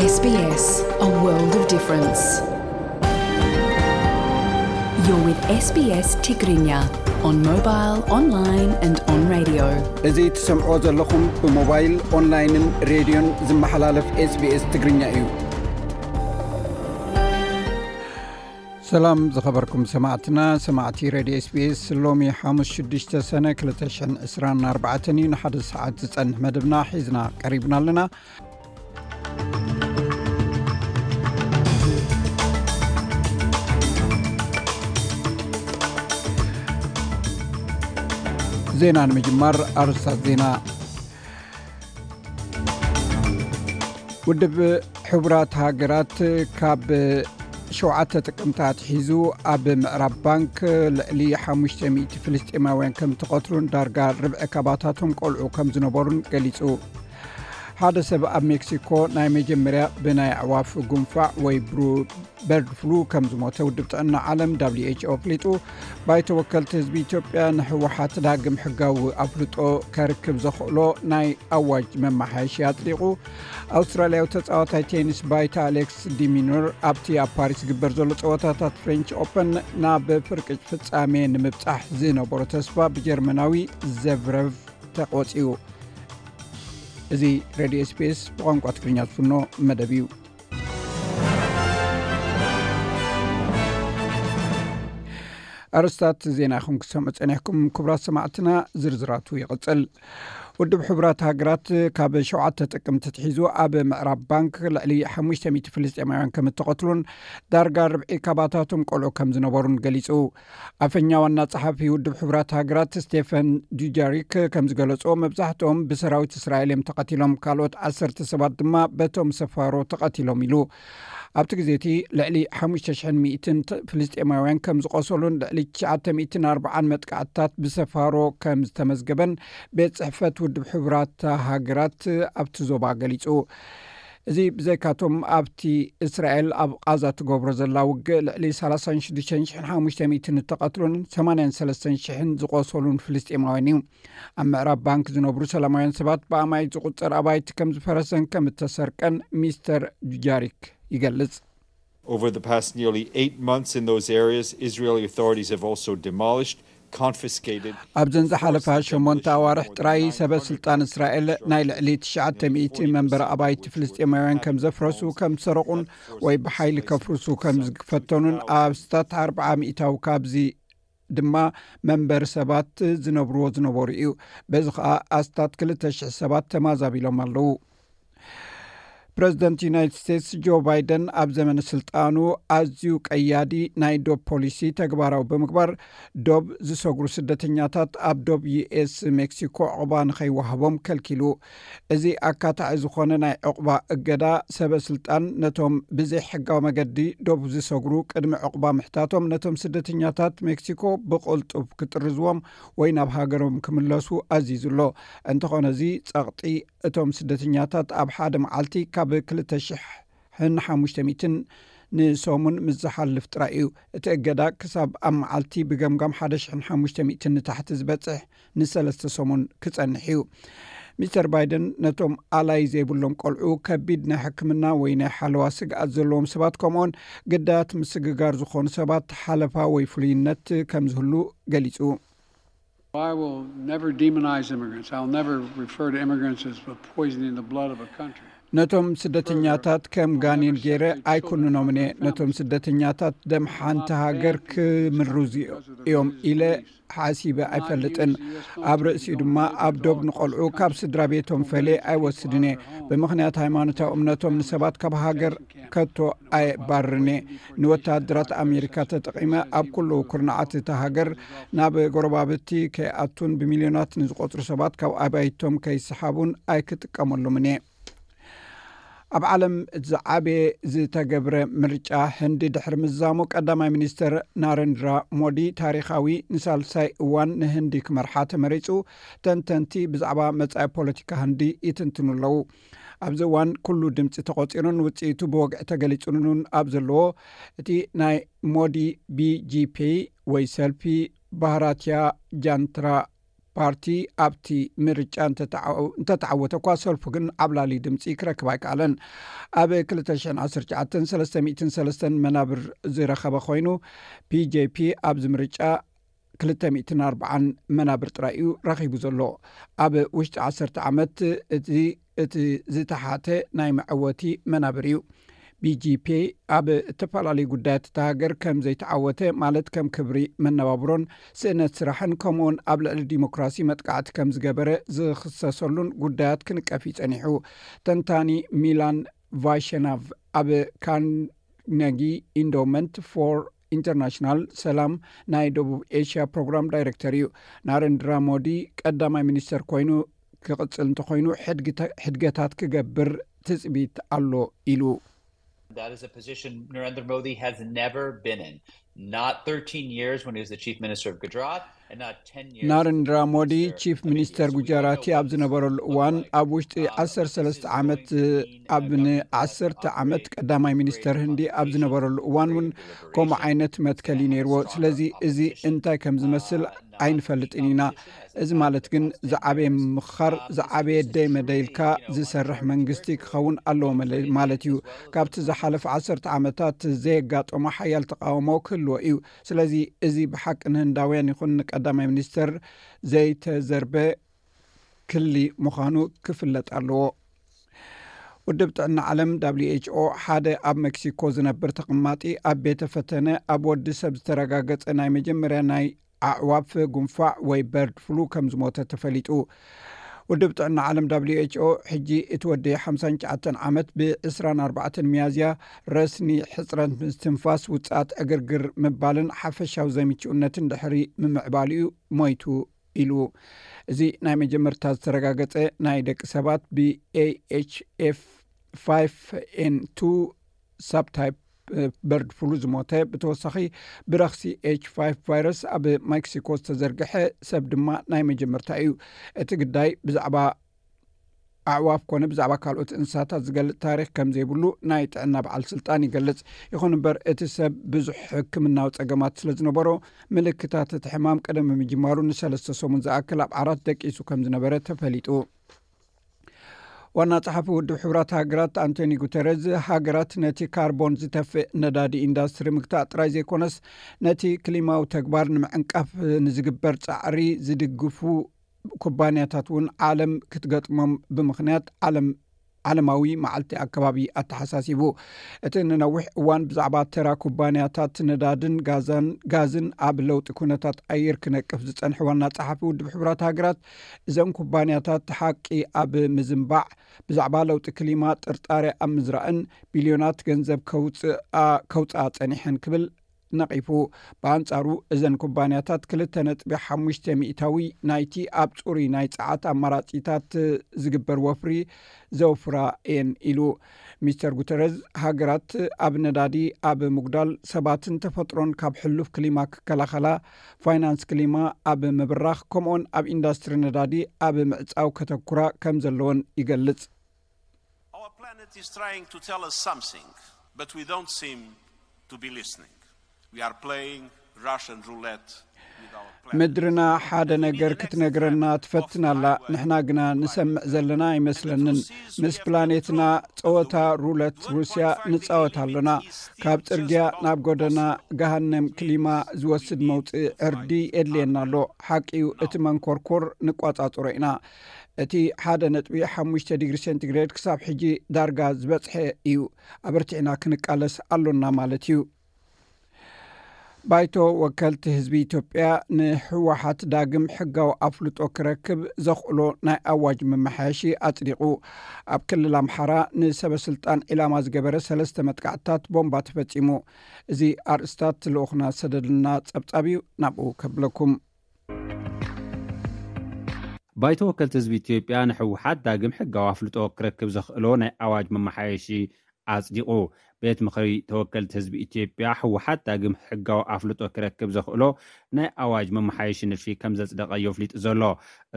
S B S, a world of difference. You're with S B S Tigrinya on mobile, online and on radio. እዚ ትሰምዖ ዘለኹም ብሞባይል፣ ኦንላይንን ሬድዮን ዝመሓላለፍ SBS ትግርኛ እዩ። ሰላም ዝኸበርኩም ሰማዕትና፣ ሰማዕቲ ሬድዮ SBS፣ ሎሚ ሓሙስ ሽዱሽተ ሰነ ክልተ ሽሕን ዕስራን ኣርባዕተን እዩ። ንሓደ ሰዓት ዝጸንሕ መደብና ሒዝና ቀሪብና ኣለና። ዜና ንምጅማር ኣርእስታት ዜና። ውድብ ሕቡራት ሃገራት ካብ ሸውዓተ ጥቅምቲ ኣትሒዙ ኣብ ምዕራብ ባንክ ልዕሊ ሓሙሽተ ሚእቲ ፍልስጤማውያን ከም ተቐትሉን ዳርጋ ርብዒ ካባታቶም ቆልዑ ከም ዝነበሩን ገሊጹ። ሓደ ሰብ ኣብ ሜክሲኮ ናይ መጀመርያ ብናይ ኣዕዋፍ ጉንፋዕ ወይ ብሩ በርድ ፍሉ ከም ዝሞተ ውድብ ጥዕና ዓለም፣ ደብሊው ኤች ኦ፣ ኣፍሊጡ። ባይቶ ወከልቲ ህዝቢ ኢትዮጵያ ንህወሓት ዳግም ሕጋዊ ኣፍልጦ ከርክብ ዘኽእሎ ናይ ኣዋጅ መመሓየሺ ኣጽዲቑ። ኣውስትራልያዊ ተጻዋታይ ቴኒስ ባይታ ኣሌክስ ዲሚኖር ኣብቲ ኣብ ፓሪስ ዝግበር ዘሎ ጸወታታት ፍሬንች ኦፐን ናብ ፍርቂ ፍጻሜ ንምብጻሕ ዝነበሮ ተስፋ ብጀርመናዊ ዘቭረቭ ተቖጺኡ። እዚ ሬድዮ ኤስቢኤስ ብቋንቋ ትግርኛ ዝፍኖ መደብ እዩ። ኣርእስታት ዜና ኢኹም ክትሰምዑ ጸኒሕኩም። ክቡራት ሰማዕትና፣ ዝርዝራቱ ይቕጽል። ውድብ ሕቡራት ሃገራት ካብ ሸውዓተ ጥቅምቲ ትሒዙ ኣብ ምዕራብ ባንክ ልዕሊ ሓሙሽተ ሚእቲ ፍልስጤማውያን ከም እተቐትሉን ዳርጋ ርብዒ ካባታቶም ቆልዑ ከም ዝነበሩን ገሊጹ። ኣፈኛ ዋና ጸሓፊ ውድብ ሕቡራት ሃገራት ስቴፈን ዱጃሪክ ከም ዝገለጾ፣ መብዛሕትኦም ብሰራዊት እስራኤል እዮም ተቐቲሎም፣ ካልኦት ዓሰርተ ሰባት ድማ በቶም ሰፋሮ ተቐቲሎም ኢሉ። ኣብቲ ግዜ እቲ ልዕሊ ሓሙሽተ ሽሕን ሚእትን ፍልስጤማውያን ከም ዝቖሰሉን ልዕሊ ትሽዓተ ሚእትን ኣርባዓን መጥቃዕትታት ብሰፋሮ ከም ዝተመዝገበን ቤት ጽሕፈት ውድብ ሕቡራት ሃገራት ኣብቲ ዞባ ገሊጹ። እዚ ብዘይካቶም ኣብቲ እስራኤል ኣብ ቓዛ ትገብሮ ዘላ ውግእ ልዕሊ ሰላሳን ሽዱሽተን ሽሕን ሓሙሽተ ሚእትን እተቐትሉን ሰማንያን ሰለስተን ሽሕን ዝቖሰሉን ፍልስጤማውያን እዩ። ኣብ ምዕራብ ባንክ ዝነብሩ ሰላማውያን ሰባት ብኣማኢት ዝቑጸር ኣባይቲ ከም ዝፈረሰን ከም እተሰርቀን ሚስተር ዱጃሪክ ይገልጽ። Over the past nearly eight months in those areas, Israeli authorities have also demolished, confiscated, ኣብዘን ዝሓለፋ forced ሸሞንተ demolition ኣዋርሕ more than ጥራይ ሰበ ስልጣን እስራኤል ናይ ልዕሊ ትሽዓተ ሚእቲ መንበሪ ኣባይቲ ፍልስጤማውያን ከም ዘፍረሱ፣ ከም ዝሰረቑን ወይ ብሓይሊ ከፍርሱ ከም ዝፈተኑን፣ ኣብ ስታት ኣርብዓ ሚእታዊ ካብዚ ድማ መንበሪ ሰባት ዝነብርዎ ዝነበሩ እዩ። በዚ ኸኣ ኣስታት ክልተ ሽሕ ሰባት ተማዛቢሎም ኣለዉ። ፕረዚደንት ዩናይትድ ስቴትስ ጆ ባይደን ኣብ ዘመነ ስልጣኑ ኣዝዩ ቀያዲ ናይ ዶብ ፖሊሲ ተግባራዊ ብምግባር፣ ዶብ ዝሰግሩ ስደተኛታት ኣብ ዶብ ዩኤስ ሜክሲኮ ዕቑባ ንኸይወሃቦም ከልኪሉ። እዚ ኣካታዒ ዝኾነ ናይ ዕቑባ እገዳ፣ ሰበ ስልጣን ነቶም ብዘይ ሕጋዊ መገዲ ዶብ ዝሰግሩ ቅድሚ ዕቑባ ምሕታቶም፣ ነቶም ስደተኛታት ሜክሲኮ ብቕልጡፍ ክጥርዝዎም ወይ ናብ ሃገሮም ክምለሱ ኣዚዙ ኣሎ። እንተኾነ፣ እዚ ጸቕጢ እቶም ስደተኛታት ኣብ ሓደ መዓልቲ ካብ ክልተ ሽሕን ሓሙሽተ ሚእትን ንሰሙን ምስ ዝሓልፍ ጥራይ እዩ። እቲ እገዳ ክሳብ ኣብ መዓልቲ ብገምጋም ሓደ ሽሕን ሓሙሽተ ሚእትን ንታሕቲ ዝበጽሕ ንሰለስተ ሰሙን ክጸንሕ እዩ። ሚስተር ባይደን ነቶም ኣላይ ዘይብሎም ቆልዑ፣ ከቢድ ናይ ሕክምና ወይ ናይ ሓለዋ ስግኣት ዘለዎም ሰባት፣ ከምኡውን ግዳያት ምስግጋር ዝኾኑ ሰባት ሓለፋ ወይ ፍሉይነት ከም ዝህሉ ገሊጹ። I will never demonize immigrants. I'll never refer to immigrants as poisoning the blood of a country. ነቶም ስደተኛታት ከም ጋኔን ገይረ ኣይኩንኖምን እየ። ነቶም ስደተኛታት ደም ሓንቲ ሃገር ክምርዙ እዮም ኢለ ሓሲበ ኣይፈልጥን። ኣብ ርእሲኡ ድማ ኣብ ዶብ ንቆልዑ ካብ ስድራ ቤቶም ፈልየ ኣይወስድን እየ። ብምኽንያት ሃይማኖታዊ እምነቶም ንሰባት ካብ ሃገር ከቶ ኣየባርርን እየ። ንወተሃደራት ኣሜሪካ ተጠቒመ ኣብ ኩሉ ኩርናዓት እታ ሃገር ናብ ጎረባብቲ ከይኣቱን ብሚልዮናት ንዝቆጽሩ ሰባት ካብ ኣባይቶም ከይሰሓቡን ኣይክጥቀመሉምን እየ። ኣብ ዓለም ዝዓበየ ዝተገብረ ምርጫ ህንዲ ድሕሪ ምዛሙ፣ ቀዳማይ ሚኒስተር ናረንድራ ሞዲ ታሪኻዊ ንሳልሳይ እዋን ንህንዲ ክመርሓ ተመሪጹ። ተንተንቲ ብዛዕባ መጻኢ ፖለቲካ ህንዲ ይትንትኑ ኣለዉ። ኣብዚ እዋን ኩሉ ድምጺ ተቖጺሩን ውጽኢቱ ብወግዒ ተገሊጹን ኣብ ዘለዎ፣ እቲ ናይ ሞዲ ቢጂፒ ወይ ሰልፊ ባህራትያ ጃንትራ ፓርቲ ኣብቲ ምርጫ እንተተዓወተ እኳ፣ ሰልፉ ግን ዓብላሊ ድምፂ ክረክብ ኣይከኣለን። ኣብ ክልተ ሽሕን ዓሰርተ ትሽዓተን ሰለስተ ሚእትን ሰለስተን መናብር ዝረኸበ ኮይኑ፣ ፒ ጄ ፒ ኣብዚ ምርጫ ክልተ ሚእትን ኣርባዓን መናብር ጥራይ እዩ ረኺቡ ዘሎ። ኣብ ውሽጢ ዓሰርተ ዓመት እቲ እቲ ዝተሓተ ናይ መዐወቲ መናብር እዩ። ቢ ጂ ፒ ኣብ እተፈላለዩ ጉዳያት እታ ሃገር ከም ዘይተዓወተ፣ ማለት ከም ክብሪ መነባብሮን ስእነት ስራሕን፣ ከምኡውን ኣብ ልዕሊ ዲሞክራሲ መጥቃዕቲ ከም ዝገበረ ዝኽሰሰሉን ጉዳያት ክንቀፍ እዩ ጸኒሑ። ተንታኒ ሚላን ቫሸናቭ ኣብ ካርነጊ ኢንዶመንት ፎር ኢንተርናሽናል ሰላም ናይ ደቡብ ኤሽያ ፕሮግራም ዳይሬክተር እዩ። ናረንድራ ሞዲ ቀዳማይ ሚኒስተር ኮይኑ ክቕጽል እንተኾይኑ፣ ሕድግተ- ሕድገታት ክገብር ትጽቢት ኣሎ ኢሉ። That is a position Narendra Modi has never been in. Not thirteen years when he was the chief minister of Gujarat, and not ten years. ናረንድራ ሞዲ ቺፍ ሚኒስተር ጉጃራቲ ኣብ ዝነበረሉ እዋን፣ ኣብ ውሽጢ ዓሰርተ ሰለስተ ዓመት፣ ኣብ ን ዓሰርተ ዓመት ቀዳማይ ሚኒስተር ህንዲ ኣብ ዝነበረሉ እዋን እውን ከምኡ ዓይነት መትከል እዩ ነይርዎ። ስለዚ እዚ እንታይ ከም ዝመስል ኣይንፈልጥን ኢና። እዚ ማለት ግን ዝዓበየ ምምኻር፣ ዝዓበየ ደይ መደይልካ ዝሰርሕ መንግስቲ ክኸውን ኣለዎ መለ- ማለት እዩ። ካብቲ ዝሓለፈ ዓሰርተ ዓመታት ዘየጋጠሞ ሓያል ተቃውሞ ክህልዎ እዩ። ስለዚ እዚ ብሓቂ ንህንዳውያን ይኹን ንቀዳማይ ሚኒስተር ዘይተዘርበ ክሊ ምዃኑ ክፍለጥ ኣለዎ። ውድብ ጥዕና ዓለም ደብሊው ኤች ኦ ሓደ ኣብ ሜክሲኮ ዝነብር ተቐማጢ ኣብ ቤተ ፈተነ ኣብ ወዲ ሰብ ዝተረጋገጸ ናይ መጀመርያ ናይ ኣዕዋፍ ጉንፋዕ ወይ በርድ ፍሉ ከም ዝሞተ ተፈሊጡ። ውድብ ጥዕና ዓለም ደብሊው ኤች ኦ ሕጂ እቲ ወዲ ሓምሳን ትሽዓተን ዓመት ብ ዕስራን ኣርባዕተን ሚያዝያ ረስኒ ሕጽረት ምስትንፋስ፣ ውጽኣት ዕግርግር ምባልን ሓፈሻዊ ዘይምችኡነትን ድሕሪ ምምዕባሉ እዩ ሞይቱ ኢሉ። እዚ ናይ መጀመርታ ዝተረጋገጸ ናይ ደቂ ሰባት ብ ኤ ኤች ኤፍ ፋይቭ ኤን ቱ ሳብታይፕ በርድ ፍሉ ዝሞተ፣ ብተወሳኺ ብረኽሲ ኤች ፋይቭ ቫይረስ ኣብ ሜክሲኮ ዝተዘርግሐ ሰብ ድማ ናይ መጀመርታ እዩ። እቲ ግዳይ ብዛዕባ ኣዕዋፍ ኮነ ብዛዕባ ካልኦት እንስሳታት ዝገልጽ ታሪኽ ከም ዘይብሉ ናይ ጥዕና በዓል ስልጣን ይገልጽ። ይኹን እምበር፣ እቲ ሰብ ብዙሕ ሕክምናዊ ጸገማት ስለ ዝነበሮ፣ ምልክታት እቲ ሕማም ቀደም ብምጅማሩ ንሰለስተ ሰሙን ዝኣክል ኣብ ዓራት ደቂሱ ከም ዝነበረ ተፈሊጡ። ዋና ጸሓፊ ውድብ ሕቡራት ሃገራት ኣንቶኒ ጉተረዝ፣ ሃገራት ነቲ ካርቦን ዝተፍእ ነዳዲ ኢንዳስትሪ ምግታእ ጥራይ ዘይኮነስ፣ ነቲ ክሊማዊ ተግባር ንምዕንቃፍ ንዝግበር ጻዕሪ ዝድግፉ ኩባንያታት እውን ዓለም ክትገጥሞም ብምኽንያት ዓለም ዓለማዊ መዓልቲ ኣከባቢ ኣተሓሳሲቡ። እቲ ንነዊሕ እዋን ብዛዕባ ተራ ኩባንያታት ነዳድን ጋዛን ጋዝን ኣብ ለውጢ ኩነታት ኣየር ክነቅፍ ዝጸንሐ ዋና ጸሓፊ ውድብ ሕቡራት ሃገራት፣ እዘን ኩባንያታት ሓቂ ኣብ ምዝንባዕ፣ ብዛዕባ ለውጢ ክሊማ ጥርጣሬ ኣብ ምዝራእን ቢልዮናት ገንዘብ ከውጽኣ ከውጽኣ ጸኒሐን ክብል ነቒፉ። ብኣንጻሩ፣ እዘን ኩባንያታት ክልተ ነጥቢ ሓሙሽተ ሚእታዊ ናይቲ ኣብ ጽሩይ ናይ ጸዓት ኣማራጺታት ዝግበር ወፍሪ ዘውፍራ እየን ኢሉ። ሚስተር ጉተረዝ፣ ሃገራት ኣብ ነዳዲ ኣብ ምጉዳል፣ ሰባትን ተፈጥሮን ካብ ሕሉፍ ክሊማ ክከላኸላ፣ ፋይናንስ ክሊማ ኣብ ምብራኽ፣ ከምኡውን ኣብ ኢንዳስትሪ ነዳዲ ኣብ ምዕጻው ከተኩራ ከም ዘለወን ይገልጽ። Our planet is trying to tell us something, but we don't seem to be listening. We are playing Russian roulette with our planet. ምድርና ሓደ ነገር ክትነግረና ትፈትን ኣላ፣ ንሕና ግና ንሰምዕ ዘለና ኣይመስለንን። ምስ ፕላኔትና ጸወታ ሩለት ሩስያ ንጻወት ኣሎና። ካብ ጽርግያ ናብ ጎደና ገሃነም ክሊማ ዝወስድ መውጽኢ ዕርዲ የድልየና ኣሎ። ሓቂ እዩ፣ እቲ መንኮርኮር ንቋጻጽሮ ኢና። እቲ ሓደ ነጥቢ ሓሙሽተ ዲግሪ ሴንቲግሬድ ክሳብ ሕጂ ዳርጋ ዝበጽሐ እዩ። ኣበርቲዕና ክንቃለስ ኣሎና ማለት እዩ። ባይቶ ወከልቲ ህዝቢ ኢትዮጵያ ንህወሓት ዳግም ሕጋዊ ኣፍልጦ ክረክብ ዘኽእሎ ናይ ኣዋጅ መመሓየሺ ኣጽዲቑ። ኣብ ክልል ኣምሓራ ንሰበ ስልጣን ዒላማ ዝገበረ ሰለስተ መጥቃዕትታት ቦምባ ተፈጺሙ። እዚ ኣርእስታት ልኡኽና ዝሰደድልና ጸብጻብ እዩ፣ ናብኡ ከብለኩም። ባይቶ ወከልቲ ህዝቢ ኢትዮጵያ ንህወሓት ዳግም ሕጋዊ ኣፍልጦ ክረክብ ዘኽእሎ ናይ ኣዋጅ መመሓየሺ ኣጽዲቑ። ቤት ምኽሪ ተወከልቲ ህዝቢ ኢትዮጵያ፣ ህወሓት ዳግም ሕጋዊ ኣፍልጦ ክረክብ ዘኽእሎ ናይ ኣዋጅ መመሓየሺ ንድፊ ከም ዘጽደቐ እዩ ኣፍሊጡ ዘሎ።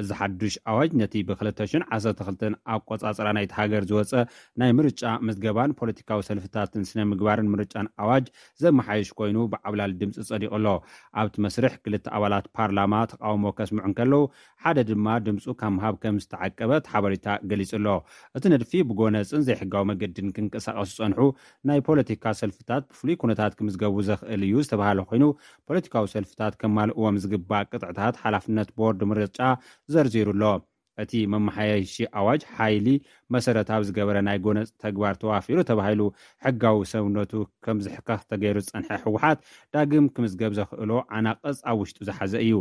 እዚ ሓዱሽ ኣዋጅ ነቲ ብ2012 ኣቆጻጽራ ናይቲ ሃገር ዝወጸ ናይ ምርጫ ምዝገባን ፖለቲካዊ ሰልፍታትን ስነ ምግባርን ምርጫን ኣዋጅ ዘመሓየሽ ኮይኑ፣ ብዓብላሊ ድምጺ ጸዲቑ ኣሎ። ኣብቲ መስርሕ ክልተ ኣባላት ፓርላማ ተቃውሞ ከስምዑ እንከለዉ፣ ሓደ ድማ ድምጹ ካብ ምሃብ ከም ዝተዓቀበ እቲ ሓበሬታ ገሊጹ ኣሎ። እቲ ንድፊ ብጎነጽን ዘይሕጋዊ መገድን ክንቀሳቐሱ ዝጸንሑ ናይ ፖለቲካ ሰልፍታት ብፍሉይ ኩነታት ክምዝገቡ ዘኽእል እዩ ዝተባሃለ ኮይኑ፣ ፖለቲካዊ ሰልፍታት ከማልእዎም ዝግባእ ቅጥዕታት ሓላፍነት ቦርድ ምርጫ ዘርዚሩ ኣሎ። እቲ መመሓየሺ ኣዋጅ ሓይሊ መሰረት ኣብ ዝገበረ ናይ ጎነጽ ተግባር ተዋፊሩ ተባሂሉ ሕጋዊ ሰውነቱ ከም ዝሕከኽ ተገይሩ ዝጸንሐ ህወሓት፣ ዳግም ክምዝገብ ዘኽእሎ ዓናቕጽ ኣብ ውሽጡ ዝሓዘ እዩ።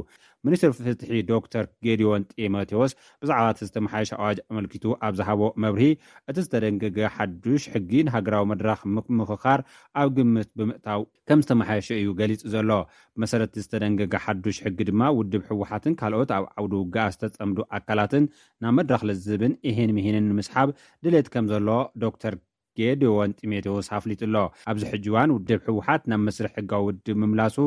ሚኒስትር ፍትሒ ዶክተር ጌዲዮን ጢሞቴዎስ ብዛዕባ እቲ ዝተመሓየሸ ኣዋጅ ኣመልኪቱ ኣብ ዝሃቦ መብርሂ፣ እቲ ዝተደንገገ ሓዱሽ ሕጊ ንሃገራዊ መድረኽ ምምኽኻር ኣብ ግምት ብምእታው ከም ዝተመሓየሸ እዩ ገሊጹ ዘሎ። ብመሰረት ዝተደንገገ ሓዱሽ ሕጊ ድማ፣ ውድብ ህወሓትን ካልኦት ኣብ ዓውዲ ውግኣ ዝተጸምዱ ኣካላትን ናብ መድረኽ ልዝብን ኢሂን ምሂንን ንምስሓብ ድሌት ከም ዘሎ ዶክተር ጌዲዮን ጢሞቴዎስ ኣፍሊጡ ኣሎ። ኣብዚ ሕጂ እዋን ውድብ ህወሓት ናብ መስርሕ ሕጋዊ ውድብ ምምላሱ፣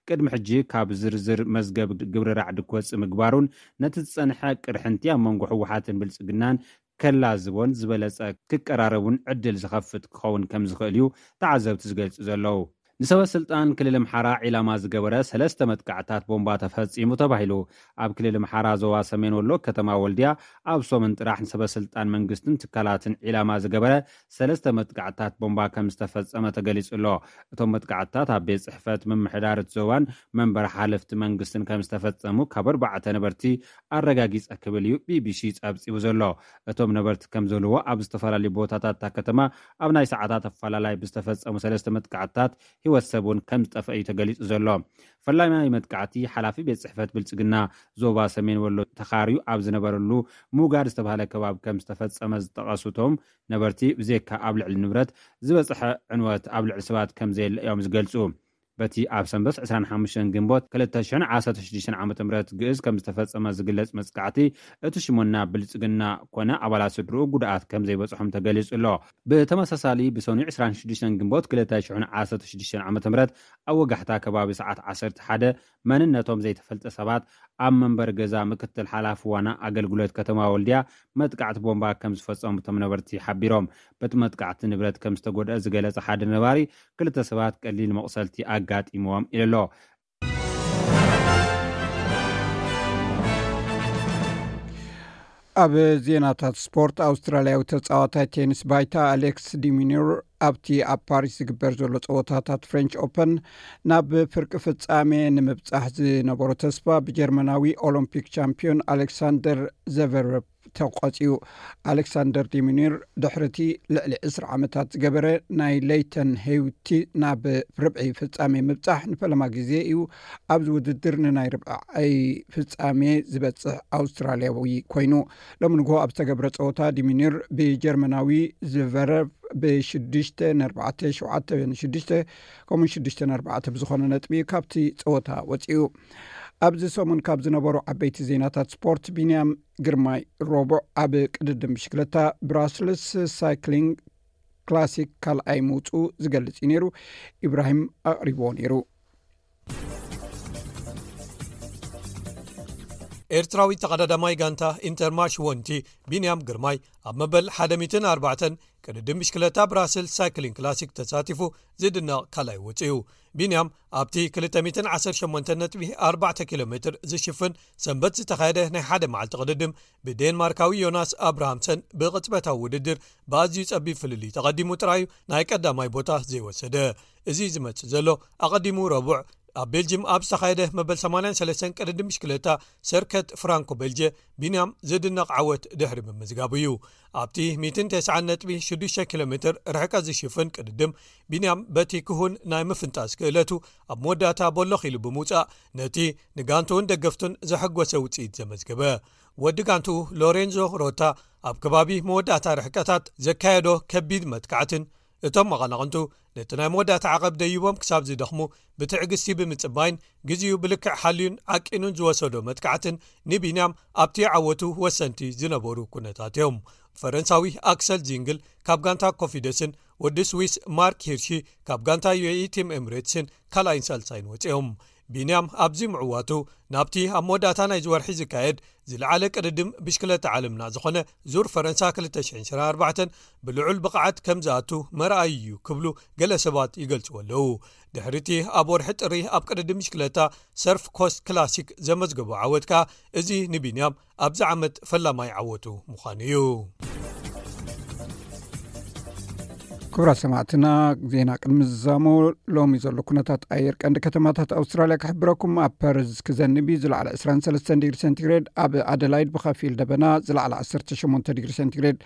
ቅድሚ ሕጂ ካብ ዝርዝር መዝገብ ግብሪ ራዕዲ ክወጽእ ምግባሩን፣ ነቲ ዝጸንሐ ቅርሕንቲ ኣብ መንጎ ህወሓትን ብልጽግናን ከላዝቦን ዝበለጸ ክቀራረቡን ዕድል ዝኸፍት ክኸውን ከም ዝኽእል እዩ ተዓዘብቲ ዝገልጹ ዘለዉ። ንሰበ ስልጣን ክልል ኣምሓራ ዒላማ ዝገበረ ሰለስተ መጥቃዕታት ቦምባ ተፈጺሙ ተባሂሉ። ኣብ ክልል ኣምሓራ ዞባ ሰሜን ወሎ ከተማ ወልድያ፣ ኣብ ሶምን ጥራሕ ንሰበ ስልጣን መንግስትን ትካላትን ዒላማ ዝገበረ ሰለስተ መጥቃዕታት ቦምባ ከም ዝተፈጸመ ተገሊጹ ኣሎ። እቶም መጥቃዕታት ኣብ ቤት ጽሕፈት ምምሕዳር እቲ ዞባን መንበር ሓለፍቲ መንግስትን ከም ዝተፈጸሙ ካብ ኣርባዕተ ነበርቲ ኣረጋጊጸ ክብል እዩ ቢቢሲ ጸብጺቡ ዘሎ። እቶም ነበርቲ ከም ዝበልዎ፣ ኣብ ዝተፈላለዩ ቦታታት እታ ከተማ ኣብ ናይ ሰዓታት ኣፈላላይ ብዝተፈጸሙ ሰለስተ መጥቃዕትታት ህይወት ሰብ እውን ከም ዝጠፍአ እዩ ተገሊጹ ዘሎ። ፈላማይ መጥቃዕቲ ሓላፊ ቤት ጽሕፈት ብልጽግና ዞባ ሰሜን ወሎ ተኻርዩ ኣብ ዝነበረሉ ሙጋድ ዝተባህለ ከባቢ ከም ዝተፈጸመ ዝጠቐሱ እቶም ነበርቲ፣ ብዘይካ ኣብ ልዕሊ ንብረት ዝበጽሐ ዕንወት፣ ኣብ ልዕሊ ሰባት ከም ዘየለ እዮም ዝገልጹ። በቲ ኣብ ሰንበት 25 ግንቦት 2016 ዓ.ም ግእዝ ከም ዝተፈጸመ ዝግለጽ መጥቃዕቲ፣ እቲ ሽሞና ብልጽግና ኮነ ኣባላት ስድርኡ ጉድኣት ከም ዘይበጽሖም ተገሊጹ ኣሎ። ብተመሳሳሊ፣ ብሰኑይ 26 ግንቦት 2016 ዓ.ም ኣብ ወጋሕታ ከባቢ ሰዓት 11፣ መንነቶም ዘይተፈልጠ ሰባት ኣብ መንበሪ ገዛ ምክትል ሓላፊ ዋና ኣገልግሎት ከተማ ወልድያ መጥቃዕቲ ቦምባ ከም ዝፈጸሙ እቶም ነበርቲ ሓቢሮም። በቲ መጥቃዕቲ ንብረት ከም ዝተጎድአ ዝገለጸ ሓደ ነባሪ፣ ክልተ ሰባት ቀሊል መቑሰልቲ ኣጋጢምዎም ኢሉ ኣሎ። ኣብ ዜናታት ስፖርት፣ ኣውስትራልያዊ ተጻዋታይ ቴኒስ ባይታ ኣሌክስ ዲሚኒር ኣብቲ ኣብ ፓሪስ ዝግበር ዘሎ ጸወታታት ፍሬንች ኦፐን ናብ ፍርቂ ፍጻሜ ንምብጻሕ ዝነበሮ ተስፋ ብጀርመናዊ ኦሎምፒክ ቻምፒዮን ኣሌክሳንደር ዘቨረቭ ተቋጺዩ። ኣሌክሳንደር ዲሚኒር ድሕሪ እቲ ልዕሊ 20 ዓመታት ዝገበረ ናይ ለይተን ሄውቲ ናብ ርብዒ ፍጻሜ ምብጻሕ ንፈለማ ግዜ እዩ ኣብዚ ውድድር ንናይ ርብዓይ ፍጻሜ ዝበጽሕ ኣውስትራልያዊ ኮይኑ። ሎሚ ንግሆ ኣብ ዝተገብረ ጸወታ ዲሚኒር ብጀርመናዊ ዝቨረቭ ብሽዱሽተ ነርባዕተ፣ ሸውዓተ ንሽዱሽተ፣ ከምኡ ሽዱሽተ ነርባዕተ ብዝኾነ ነጥቢ ካብቲ ጸወታ ወጺኡ። ኣብዚ ሰሙን ካብ ዝነበሩ ዓበይቲ ዜናታት ስፖርት፣ ቢንያም ግርማይ ረቡዕ ኣብ ቅድድም ብሽክለታ ብራስልስ ሳይክሊንግ ክላሲክ ካልኣይ ምውፅኡ ዝገልጽ እዩ ነይሩ። ኢብራሂም ኣቕሪብዎ ነይሩ። ኤርትራዊ ተቐዳዳማይ ጋንታ ኢንተርማሽ ወንቲ ቢንያም ግርማይ ኣብ መበል ሓደ ሚእትን ኣርባዕተን ቅድድም ብሽክለታ ብራስል ሳይክሊንግ ክላሲክ ተሳቲፉ ዝድነቕ ካልኣይ ወፂኡ። ቢንያም ኣብቲ 218.4 ኪሎ ሜትር ዝሽፍን ሰንበት ዝተኻየደ ናይ ሓደ መዓልቲ ቅድድም ብዴንማርካዊ ዮናስ ኣብርሃምሰን ብቕጽበታዊ ውድድር ብኣዝዩ ጸቢብ ፍልልይ ተቐዲሙ ጥራዩ ናይ ቀዳማይ ቦታ ዘይወሰደ። እዚ ዝመጽእ ዘሎ ኣቐዲሙ ረቡዕ ኣብ ቤልጅም ኣብ ዝተኻየደ መበል 83 ቅድድም ብሽክለታ ሰርከት ፍራንኮ ቤልጀ ቢንያም ዝድነቕ ዓወት ድሕሪ ምምዝጋቡ እዩ። ኣብቲ 190.6 ኪሎ ሜትር ርሕቀት ዝሽፍን ቅድድም፣ ቢንያም በቲ ክሁን ናይ ምፍንጣስ ክእለቱ ኣብ መወዳእታ ቦሎኽ ኢሉ ብምውጻእ፣ ነቲ ንጋንቱን ደገፍቱን ዘሐጎሰ ውጽኢት ዘመዝገበ። ወዲ ጋንቱ ሎሬንዞ ሮታ ኣብ ከባቢ መወዳእታ ርሕቀታት ዘካየዶ ከቢድ መጥቃዕትን፣ እቶም መቐናቕንቱ ነቲ ናይ መወዳእታ ዓቐብ ደይቦም ክሳብ ዝደኽሙ ብትዕግስቲ ብምጽባይን፣ ግዜኡ ብልክዕ ሓልዩን ዓቂኑን ዝወሰዶ መጥቃዕትን ንቢንያም ኣብቲ ዓወቱ ወሰንቲ ዝነበሩ ኩነታት እዮም። ፈረንሳዊ ኣክሰል ዚንግል ካብ ጋንታ ኮፊደስን ወዲ ስዊስ ማርክ ሂርሺ ካብ ጋንታ ዩ ኤ ኢ ቲም ኤምሬትስን ካልኣይን ሳልሳይን ወፂኦም። ቢንያም ኣብዚ ምዕዋቱ ናብቲ ኣብ መወዳእታ ናይዚ ወርሒ ዝካየድ ዝለዓለ ቅድድም ብሽክለታ ዓለምና ዝኾነ ዙር ፈረንሳ ክልተ ሽሕን ዕስራን ኣርባዕተን ብልዑል ብቕዓት ከም ዝኣቱ መርኣዩ እዩ ክብሉ ገለ ሰባት ይገልጽዎ ኣለዉ። ድሕሪቲ ኣብ ወርሒ ጥሪ ኣብ ቅድድም ብሽክለታ ሰርፍ ኮስት ክላሲክ ዘመዝገቦ ዓወት ከኣ እዚ ንቢንያም ኣብዚ ዓመት ፈላማይ ዓወቱ ምዃኑ እዩ። ክቡራት ሰማዕትና፣ ዜና ቅድሚ ዝዛሞ ሎሚ ዘሎ ኩነታት ኣየር ቀንዲ ከተማታት ኣውስትራልያ ክሕብረኩም። ኣብ ፐርዝ ክዘንብ እዩ፣ ዝለዓለ ዕስራን ሰለስተን ዲግሪ ሴንቲግሬድ። ኣብ ኣደላይድ ብኸፊል ደበና፣ ዝለዓለ ዓሰርተ ሸሞንተ ዲግሪ ሴንቲግሬድ።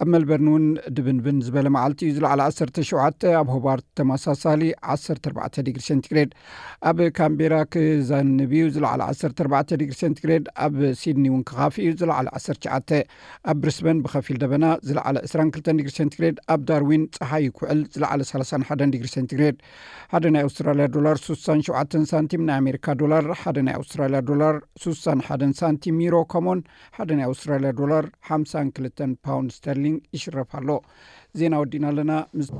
ኣብ ሜልበርን እውን ድብንብን ዝበለ መዓልቲ እዩ፣ ዝለዓለ ዓሰርተ ሸውዓተ። ኣብ ሆባርት ተመሳሳሊ ዓሰርተ ኣርባዕተ ዲግሪ ሴንቲግሬድ። ኣብ ካምቤራ ክዘንብ እዩ፣ ዝለዓለ ዓሰርተ ኣርባዕተ ዲግሪ ሴንቲግሬድ። ኣብ ሲድኒ እውን ክኻፍ እዩ፣ ዝለዓለ ዓሰርተ ትሽዓተ። ኣብ ብሪስበን ብኸፊል ደበና፣ ዝለዓለ ዕስራን ክልተን ዲግሪ ሴንቲግሬድ። ኣብ ዳርዊን ጸሓይ ይኩዕል፣ ዝለዓለ ሰላሳን ሓደን ዲግሪ ሴንቲግሬድ። ሓደ ናይ ኣውስትራልያ ዶላር ስሳን ሸውዓተን ሳንቲም፣ ናይ ኣሜሪካ ዶላር ሓደ ናይ ኣውስትራልያ ዶላር ስሳን ሓደን ሳንቲም፣ ዩሮ ከሞን ሓደ ናይ ኣውስትራልያ ዶላር ሓምሳን ክልተን ፓውንድ ስተርሊንግ ይሽረፍ ኣሎ። ዜና ወዲና ኣለና። ምስ